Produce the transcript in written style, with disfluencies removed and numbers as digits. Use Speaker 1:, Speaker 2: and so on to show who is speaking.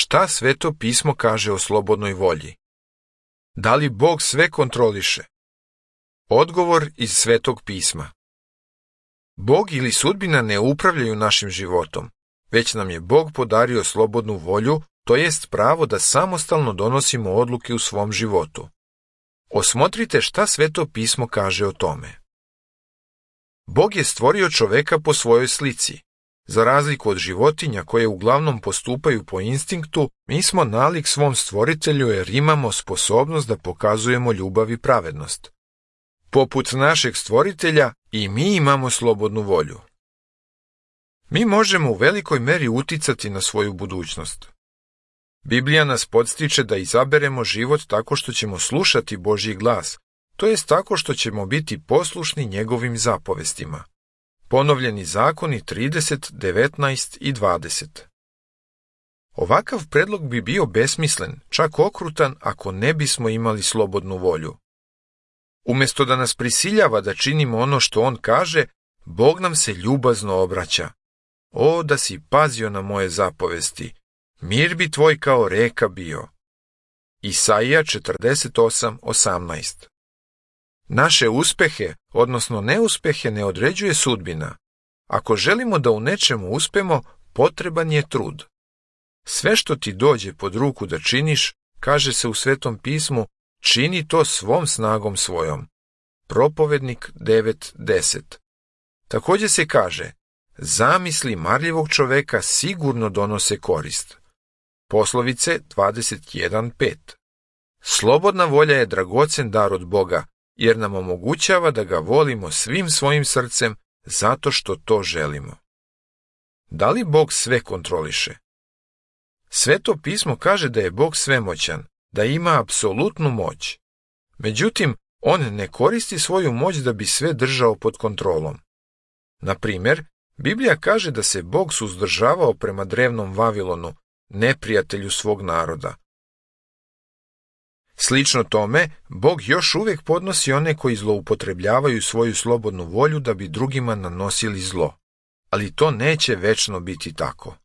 Speaker 1: šta Sveto pismo kaže o slobodnoj volji. Da li Bog sve kontroliše? Odgovor iz Svetog pisma. Bog ili sudbina ne upravljaju našim životom, već nam je Bog podario slobodnu volju, to jest pravo da samostalno donosimo odluke u svom životu. Osmotrite šta Sveto pismo kaže o tome. Bog je stvorio čoveka po svojoj slici. Za razliku od životinja koje uglavnom postupaju po instinktu, mi smo nalik svom stvoritelju jer imamo sposobnost da pokazujemo ljubav i pravednost. Poput našeg stvoritelja i mi imamo slobodnu volju. Mi možemo u velikoj meri uticati na svoju budućnost. Biblija nas podstiče da izaberemo život tako što ćemo slušati Božji glas, to jest tako što ćemo biti poslušni njegovim zapovestima. Ponovljeni zakoni 30, 19 i 20. Ovakav predlog bi bio besmislen, čak okrutan ako ne bismo imali slobodnu volju. Umjesto da nas prisiljava da činimo ono što on kaže, Bog nam se ljubazno obraća. O, da si pazio na moje zapovesti, mir bi tvoj kao reka bio. Isaija 48:18. Naše uspehe, odnosno neuspehe, ne određuje sudbina. Ako želimo da u nečemu uspemo, potreban je trud. Sve što ti dođe pod ruku da činiš, kaže se u Svetom pismu, čini to svom snagom svojom. Propovednik 9:10. Također se kaže, zamisli marljivog čoveka sigurno donose korist. Poslovice 21:5. Slobodna volja je dragocen dar od Boga, jer nam omogućava da ga volimo svim svojim srcem zato što to želimo. Da li Bog sve kontroliše? Sveto pismo kaže da je Bog svemoćan, da ima apsolutnu moć. Međutim, on ne koristi svoju moć da bi sve držao pod kontrolom. Na primjer, Biblija kaže da se Bog suzdržavao prema drevnom Vavilonu, neprijatelju svog naroda. Slično tome, Bog još uvijek podnosi one koji zloupotrebljavaju svoju slobodnu volju da bi drugima nanosili zlo. Ali to neće večno biti tako.